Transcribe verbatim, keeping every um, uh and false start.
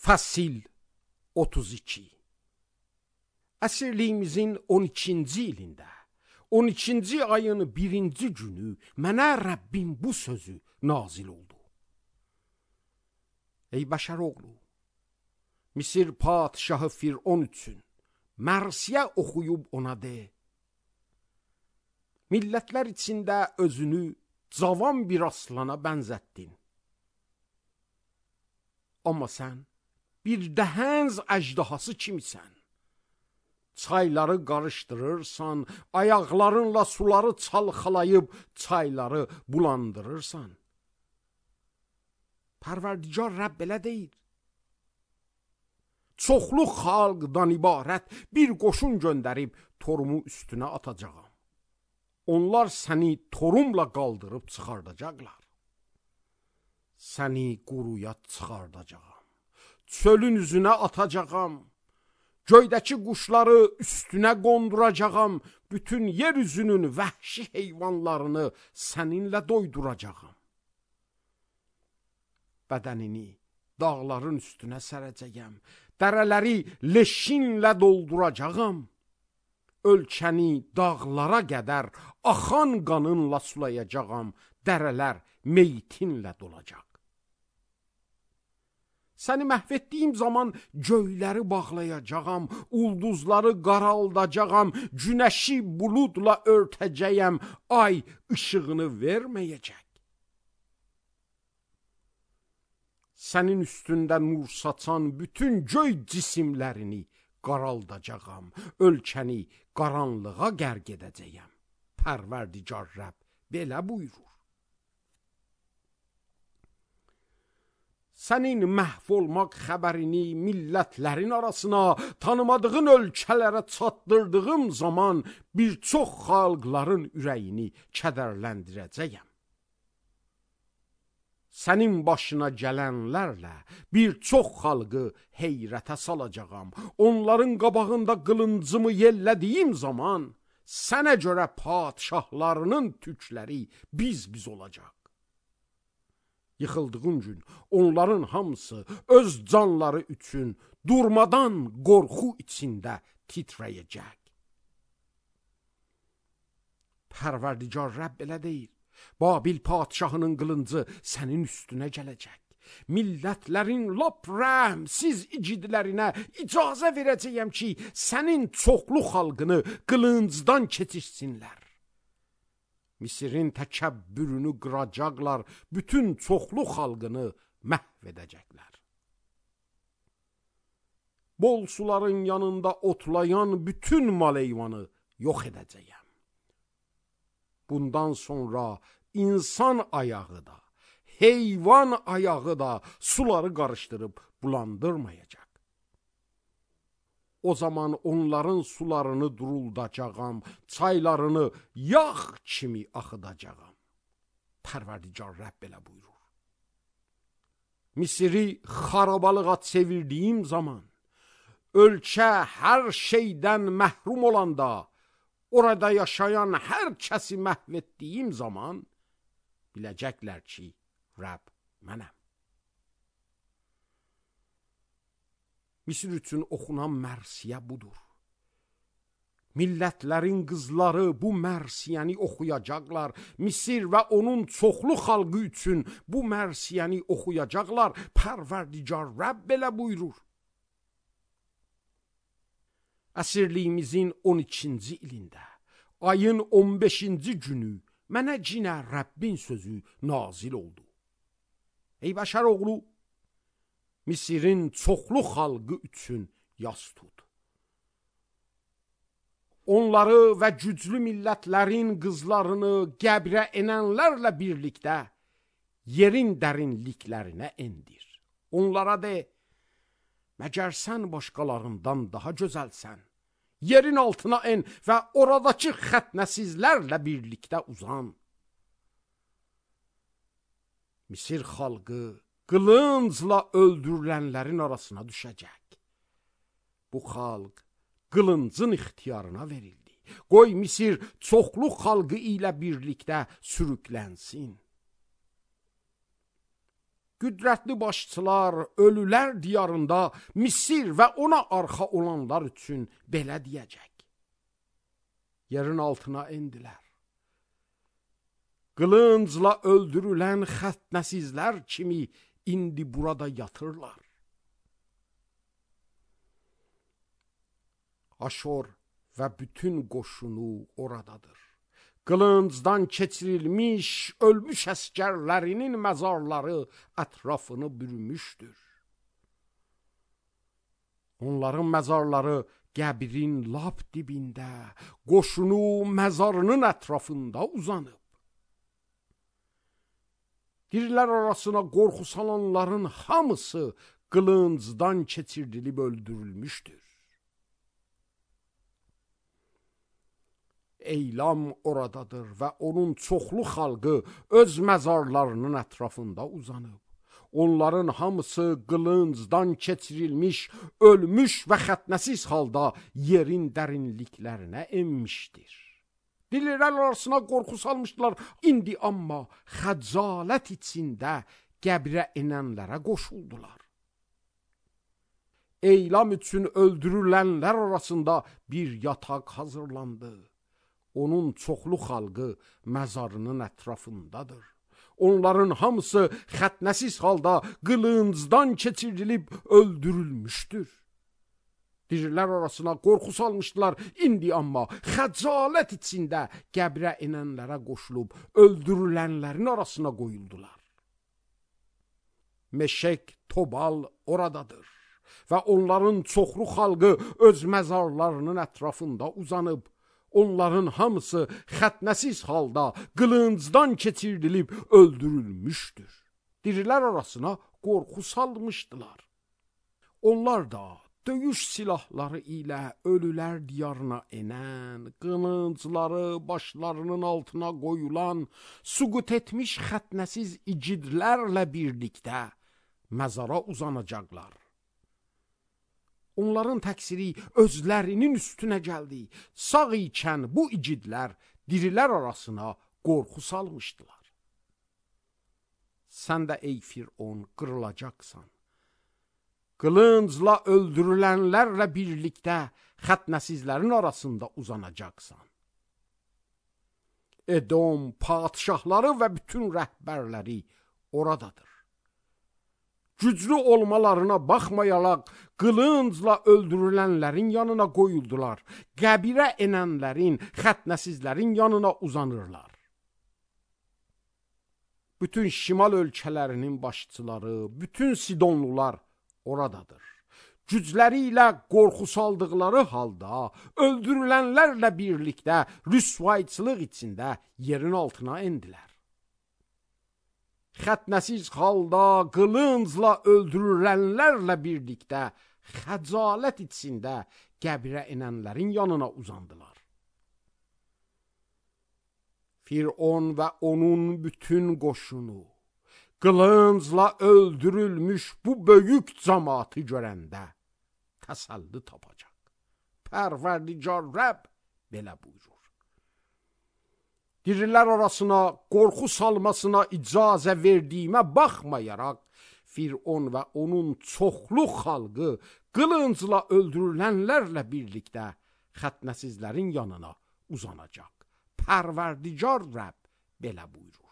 Fasil otuz iki. Əsirliyimizin on ikinci ilində, on ikinci ayın birinci günü mənə Rəbbim bu sözü nazil oldu. Ey bəşər oğlu, Misir padişahı Firon üçün mərsiyə oxuyub ona de: millətlər içində özünü cavan bir aslana bənzətdin. Amma sən bir dəhənz əjdahası kimisən. Çayları qarışdırırsan, ayaqlarınla suları çalxalayıb çayları bulandırırsan. Pərverdigar Rəbb belə deyir: çoxlu xalqdan ibarət bir qoşun göndərib torumu üstünə atacağam. Onlar səni torumla qaldırıb çıxardacaqlar. Səni quruya çıxardacağam. Çölün üzünə atacağam. Göydəki quşları üstünə qonduracağam. Bütün yer üzünün vəhşi heyvanlarını səninlə doyduracağam. Bədənini dağların üstünə sərəcəyəm. Dərələri leşinlə dolduracağam. Ölkəni dağlara qədər axan qanınla sulayacağam. Dərələr meytinlə dolacaq. Səni məhv etdiyim zaman göyləri bağlayacağam, ulduzları qaraldacağam, günəşi buludla örtəcəyəm, ay işığını verməyəcək. Sənin üstündə nur saçan bütün göy cisimlərini qaraldacağam, ölkəni qaranlığa qərq edəcəyəm. Pərverdigar Rəbb belə buyurur. Sənin məhv olmaq xəbərini millətlərin arasına, tanımadığın ölkələrə çatdırdığım zaman bir çox xalqların ürəyini kədərləndirəcəyəm. Sənin başına gələnlərlə bir çox xalqı heyrətə salacağam. Onların qabağında qılıncımı yellədiyim zaman sənə görə padişahlarının tükləri biz-biz olacaq. Yıxıldığın gün onların hamısı öz canları üçün durmadan qorxu içində titrəyəcək. Pərverdigar Rəbb belə deyir: Babil padişahının qılıncı sənin üstünə gələcək. Millətlərin lap rəhmsiz igidlərinə icazə verəcəyəm ki, sənin çoxlu xalqını qılıncdan keçirsinlər. Misirin təkəbbürünü qıracaqlar, bütün çoxlu xalqını məhv edəcəklər. Bol suların yanında otlayan bütün mal-heyvanı yox edəcəyəm. Bundan sonra insan ayağı da, heyvan ayağı da suları qarışdırıb bulandırmayacaq. O zaman onların sularını duruldacağam, çaylarını yağ kimi axıdacağam. Pərverdigar Rəbb belə buyurur. Misiri xarabalığa çevirdiyim zaman, ölkə hər şeydən məhrum olanda, orada yaşayan hər kəsi məhv etdiyim zaman, biləcəklər ki, Rəbb mənəm. Misir üçün oxunan mərsiyə budur. Millətlərin qızları bu mərsiyəni oxuyacaqlar. Misir və onun çoxlu xalqı üçün bu mərsiyəni oxuyacaqlar. Pərverdigar Rəbb belə buyurur. Əsirliyimizin on ikinci ilində, ayın on beşinci günü mənə cinə Rəbbin sözü nazil oldu. Ey bəşər oğlu, Misirin çoxlu xalqı üçün yas tut. Onları və güclü millətlərin qızlarını qəbrə enənlərlə birlikdə yerin dərinliklərinə endir. Onlara de: məgər sən başqalarından daha gözəlsən? Yerin altına en və oradakı xətnəsizlərlə birlikdə uzan. Misir xalqı qılıncla öldürülənlərin arasına düşəcək. Bu xalq qılıncın ixtiyarına verildi. Qoy Misir çoxlu xalqı ilə birlikdə sürüklənsin. qüdrətli başçılar ölülər diyarında Misir və ona arxa olanlar üçün belə deyəcək. Yerin altına endilər. Qılıncla öldürülən xətnəsizlər kimi indi burada yatırlar. Aşor və bütün qoşunu oradadır. Qılıncdan keçirilmiş, ölmüş əskərlərinin məzarları ətrafını bürümüşdür. Onların məzarları qəbrin lap dibində, qoşunu məzarının ətrafında uzanıb. Dirilər arasına qorxu salanların hamısı qılıncdan keçirilib öldürülmüşdür. Eylam oradadır və onun çoxlu xalqı öz məzarlarının ətrafında uzanıb. Onların hamısı qılıncdan keçirilmiş, ölmüş və xətnəsiz halda yerin dərinliklərinə enmişdir. Dillər arasına qorxu salmışdılar, indi amma xəcalət içində qəbrə enənlərə qoşuldular. Eylam üçün öldürülənlər arasında bir yataq hazırlandı. Onun çoxlu xalqı məzarının ətrafındadır. Onların hamısı xətnəsiz halda qılıncdan keçirilib öldürülmüşdür. Dirilər arasına qorxu salmışdılar, indi amma xəcalət içində qəbrə enənlərə qoşulub öldürülənlərin arasına qoyuldular. Meşek Tobal oradadır və onların çoxlu xalqı öz məzarlarının ətrafında uzanıb. Onların hamısı xətnəsiz halda qılıncdan keçirilib öldürülmüşdür. Dirilər arasına qorxu salmışdılar. Onlar da döyüş silahları ilə ölülər diyarına enən, qılıncları başlarının altına qoyulan, suqut etmiş xətnəsiz icidlərlə birlikdə məzara uzanacaqlar. Onların təqsiri özlərinin üstünə gəldi. Sağ ikən bu icidlər dirilər arasına qorxu salmışdılar. Sən də ey Firon qırılacaqsan. Qılıncla öldürülənlərlə birlikdə xətnəsizlərin arasında uzanacaqsan. Edom padşahları və bütün rəhbərləri oradadır. Güclü olmalarına baxmayaraq qılıncla öldürülənlərin yanına qoyuldular. Qəbirə enənlərin, xətnəsizlərin yanına uzanırlar. Bütün şimal ölkələrinin başçıları, bütün Sidonlular oradadır. Gücləri ilə qorxu saldıqları halda öldürülənlərlə birlikdə rüsvayçılıq içində yerin altına endilər. Xətnəsiz halda qılıncla öldürülənlərlə birlikdə xəcalət içində qəbrə enənlərin yanına uzandılar. Firon və onun bütün qoşunu qılıncla öldürülmüş bu böyük cəmaatı görəndə təsəlli tapacaq. Pərverdigar Rəbb belə buyurur. Dirilər arasına qorxu salmasına icazə verdiyimə baxmayaraq, Firon və onun çoxlu xalqı qılıncla öldürülənlərlə birlikdə xətnəsizlərin yanına uzanacaq. Pərverdigar Rəbb belə buyurur.